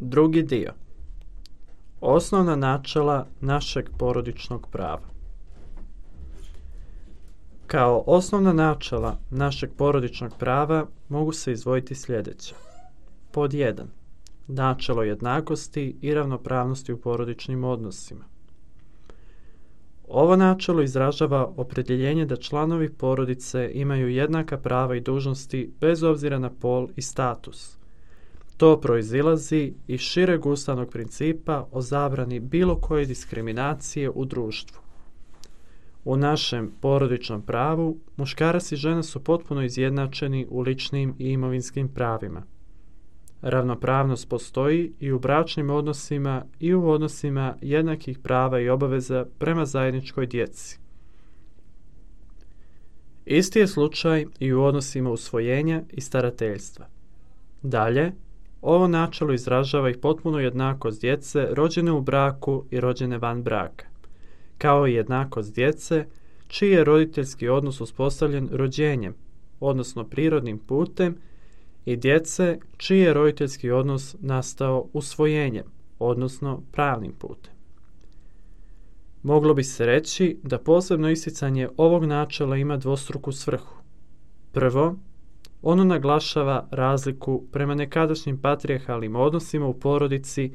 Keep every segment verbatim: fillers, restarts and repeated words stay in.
Drugi dio. Osnovna načela našeg porodičnog prava. Kao osnovna načela našeg porodičnog prava mogu se izdvojiti sljedeće. Pod jedan. Načelo jednakosti i ravnopravnosti u porodičnim odnosima. Ovo načelo izražava opredjeljenje da članovi porodice imaju jednaka prava i dužnosti bez obzira na pol i status. To proizilazi iz šireg ustavnog principa o zabrani bilo koje diskriminacije u društvu. U našem porodičnom pravu muškarac i žena su potpuno izjednačeni u ličnim i imovinskim pravima. Ravnopravnost postoji i u bračnim odnosima i u odnosima jednakih prava i obaveza prema zajedničkoj djeci. Isti je slučaj i u odnosima usvojenja i starateljstva. Dalje, ovo načelo izražava i potpunu jednakost djece rođene u braku i rođene van braka, kao i jednakost djece čiji je roditeljski odnos uspostavljen rođenjem, odnosno prirodnim putem, i djece čiji je roditeljski odnos nastao usvojenjem, odnosno pravnim putem. Moglo bi se reći da posebno isticanje ovog načela ima dvostruku svrhu. Prvo, ono naglašava razliku prema nekadašnjim patrijarhalnim odnosima u porodici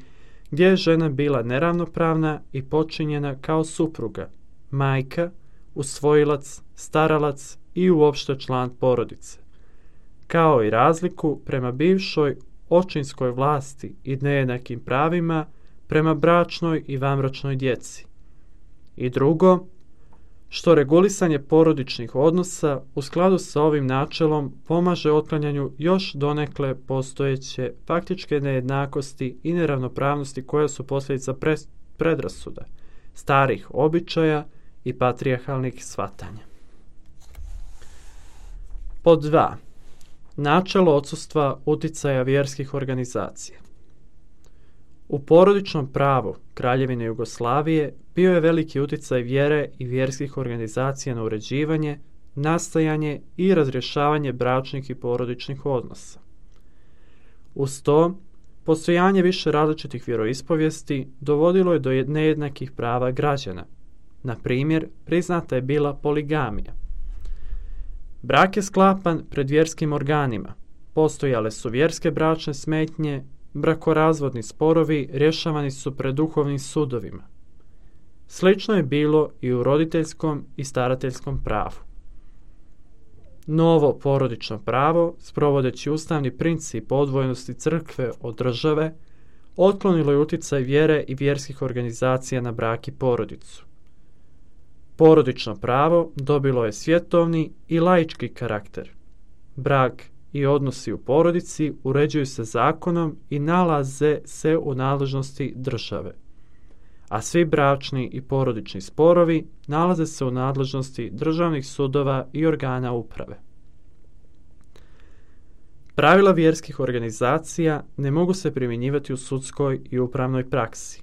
gdje je žena bila neravnopravna i počinjena kao supruga, majka, usvojilac, staralac i uopšte član porodice, kao i razliku prema bivšoj očinskoj vlasti i nejednakim pravima prema bračnoj i vanbračnoj djeci. I drugo, što regulisanje porodičnih odnosa u skladu sa ovim načelom pomaže otklanjanju još donekle postojeće faktičke nejednakosti i neravnopravnosti koje su posljedica predrasuda, starih običaja i patrijarhalnih shvatanja. Pod dva. Načelo odsustva uticaja vjerskih organizacija. U porodičnom pravu Kraljevine Jugoslavije bio je veliki uticaj vjere i vjerskih organizacija na uređivanje, nastajanje i razrješavanje bračnih i porodičnih odnosa. Uz to, postojanje više različitih vjeroispovijesti dovodilo je do nejednakih prava građana. Na primjer, priznata je bila poligamija. Brak je sklapan pred vjerskim organima, postojale su vjerske bračne smetnje, brakorazvodni sporovi rješavani su pred duhovnim sudovima. Slično je bilo i u roditeljskom i starateljskom pravu. Novo porodično pravo, sprovodeći ustavni princip odvojenosti crkve od države, otklonilo je uticaj vjere i vjerskih organizacija na brak i porodicu. Porodično pravo dobilo je svjetovni i laički karakter. Brak i odnosi u porodici uređuju se zakonom i nalaze se u nadležnosti države, a svi bračni i porodični sporovi nalaze se u nadležnosti državnih sudova i organa uprave. Pravila vjerskih organizacija ne mogu se primjenjivati u sudskoj i upravnoj praksi,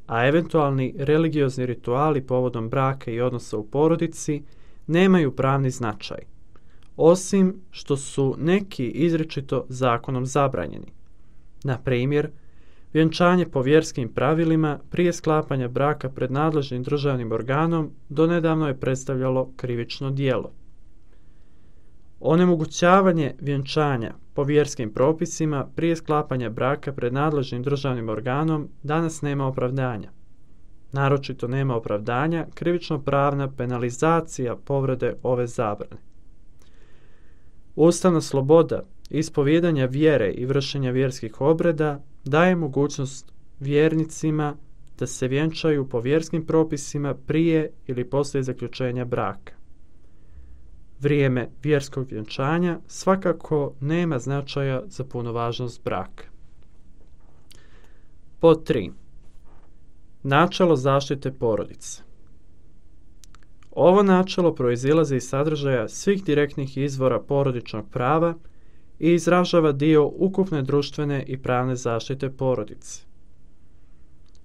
a eventualni religiozni rituali povodom braka i odnosa u porodici nemaju pravni značaj, osim što su neki izričito zakonom zabranjeni. Na primjer, vjenčanje po vjerskim pravilima prije sklapanja braka pred nadležnim državnim organom donedavno je predstavljalo krivično djelo. Onemogućavanje vjenčanja po vjerskim propisima prije sklapanja braka pred nadležnim državnim organom danas nema opravdanja. Naročito nema opravdanja krivično-pravna penalizacija povrede ove zabrane. Ustavna sloboda ispovijedanja vjere i vršenja vjerskih obreda daje mogućnost vjernicima da se vjenčaju po vjerskim propisima prije ili poslije zaključenja braka. Vrijeme vjerskog vjenčanja svakako nema značaja za punovažnost braka. Pod tri. Načelo zaštite porodice. Ovo načelo proizilazi iz sadržaja svih direktnih izvora porodičnog prava i izražava dio ukupne društvene i pravne zaštite porodice.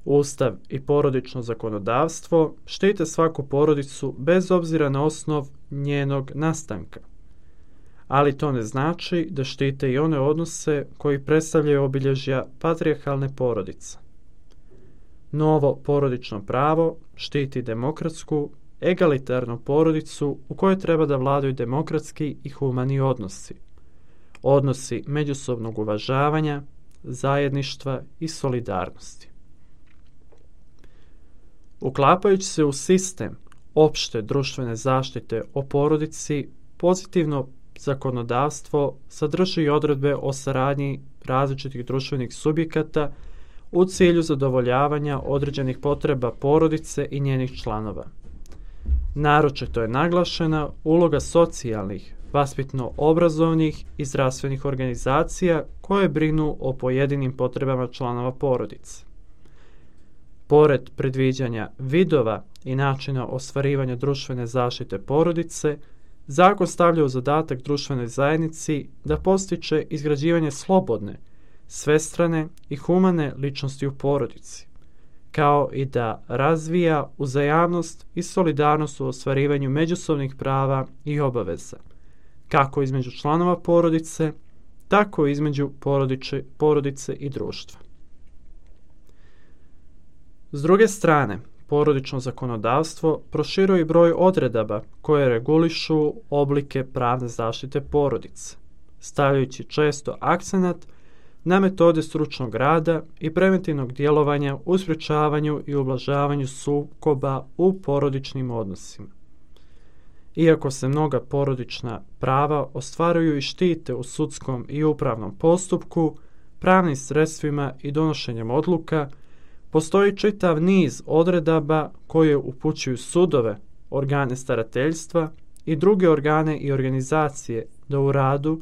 Ustav i porodično zakonodavstvo štite svaku porodicu bez obzira na osnov njenog nastanka, ali to ne znači da štite i one odnose koji predstavljaju obilježja patrijarhalne porodice. Novo porodično pravo štiti demokratsku, egalitarnu porodicu u kojoj treba da vladaju demokratski i humani odnosi. Odnosi međusobnog uvažavanja, zajedništva i solidarnosti. Uklapajući se u sistem opšte društvene zaštite o porodici, pozitivno zakonodavstvo sadrži odredbe o saradnji različitih društvenih subjekata u cilju zadovoljavanja određenih potreba porodice i njenih članova. Naročito je naglašena uloga socijalnih, vaspitno-obrazovnih i zdravstvenih organizacija koje brinu o pojedinim potrebama članova porodice. Pored predviđanja vidova i načina ostvarivanja društvene zaštite porodice, zakon stavlja u zadatak društvenoj zajednici da postiče izgrađivanje slobodne, svestrane i humane ličnosti u porodici, kao i da razvija uzajamnost i solidarnost u ostvarivanju međusobnih prava i obaveza, kako između članova porodice, tako i između porodice, porodice i društva. S druge strane, porodično zakonodavstvo proširuje broj odredaba koje regulišu oblike pravne zaštite porodice, stavljajući često akcenat na metode stručnog rada i preventivnog djelovanja u sprječavanju i ublažavanju sukoba u porodičnim odnosima. Iako se mnoga porodična prava ostvaruju i štite u sudskom i upravnom postupku, pravnim sredstvima i donošenjem odluka, postoji čitav niz odredaba koje upućuju sudove, organe starateljstva i druge organe i organizacije da u radu,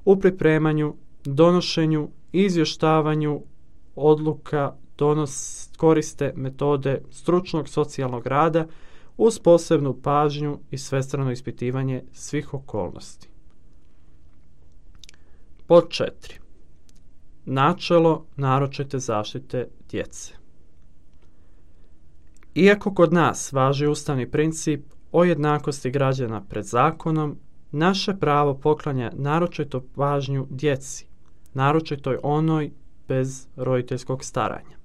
u pripremanju, donošenju i izvještavanju odluka donos, koriste metode stručnog socijalnog rada uz posebnu pažnju i svestrano ispitivanje svih okolnosti. Pod četiri. Načelo naročite zaštite djece. Iako kod nas važi ustavni princip o jednakosti građana pred zakonom, naše pravo poklanja naročito pažnju djeci, naročito onoj bez roditeljskog staranja.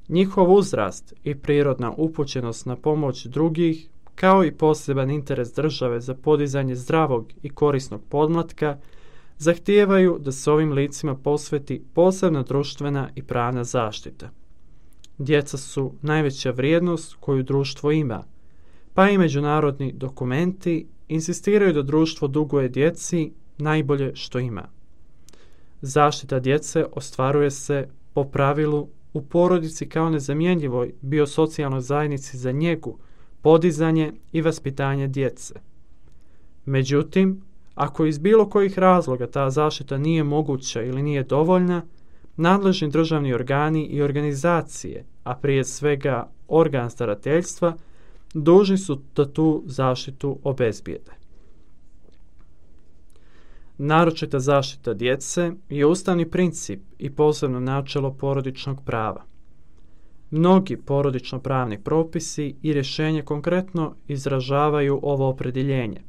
Njihov uzrast i prirodna upućenost na pomoć drugih, kao i poseban interes države za podizanje zdravog i korisnog podmlatka, zahtijevaju da se ovim licima posveti posebna društvena i pravna zaštita. Djeca su najveća vrijednost koju društvo ima, pa i međunarodni dokumenti insistiraju da društvo duguje djeci najbolje što ima. Zaštita djece ostvaruje se po pravilu u porodici kao nezamjenjivoj biosocijalnoj zajednici za njegu, podizanje i vaspitanje djece. Međutim, ako iz bilo kojih razloga ta zaštita nije moguća ili nije dovoljna, nadležni državni organi i organizacije, a prije svega organ starateljstva, dužni su da tu zaštitu obezbijede. Naročita zaštita djece je ustavni princip i posebno načelo porodičnog prava. Mnogi porodično-pravni propisi i rješenje konkretno izražavaju ovo opredjeljenje.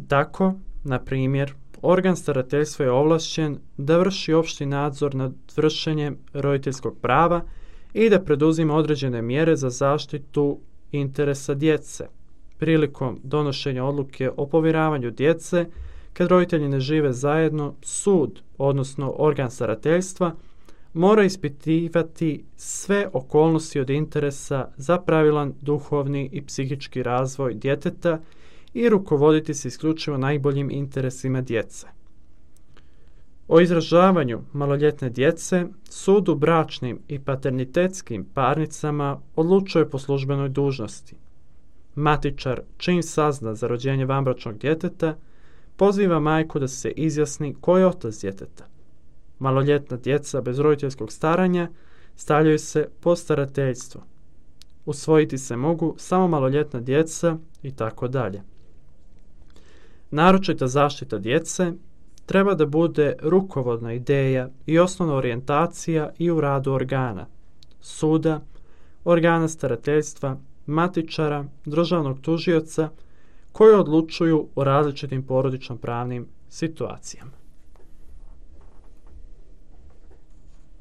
Tako, na primjer, organ starateljstva je ovlašćen da vrši opšti nadzor nad vršenjem roditeljskog prava i da preduzima određene mjere za zaštitu interesa djece prilikom donošenja odluke o povjeravanju djece. Kad roditelji ne žive zajedno, sud, odnosno organ starateljstva, mora ispitivati sve okolnosti od interesa za pravilan duhovni i psihički razvoj djeteta i rukovoditi se isključivo najboljim interesima djece. O izražavanju maloljetne djece sud u bračnim i paternitetskim parnicama odlučuje po službenoj dužnosti. Matičar, čim sazna za rođenje vanbračnog djeteta, poziva majku da se izjasni ko je otac djeteta. Maloljetna djeca bez roditeljskog staranja stavljaju se pod starateljstvo. Usvojiti se mogu samo maloljetna djeca i tako dalje. Naročita zaštita djece treba da bude rukovodna ideja i osnovna orijentacija i u radu organa, suda, organa starateljstva, matičara, državnog tužioca, koje odlučuju o različitim porodično-pravnim situacijama.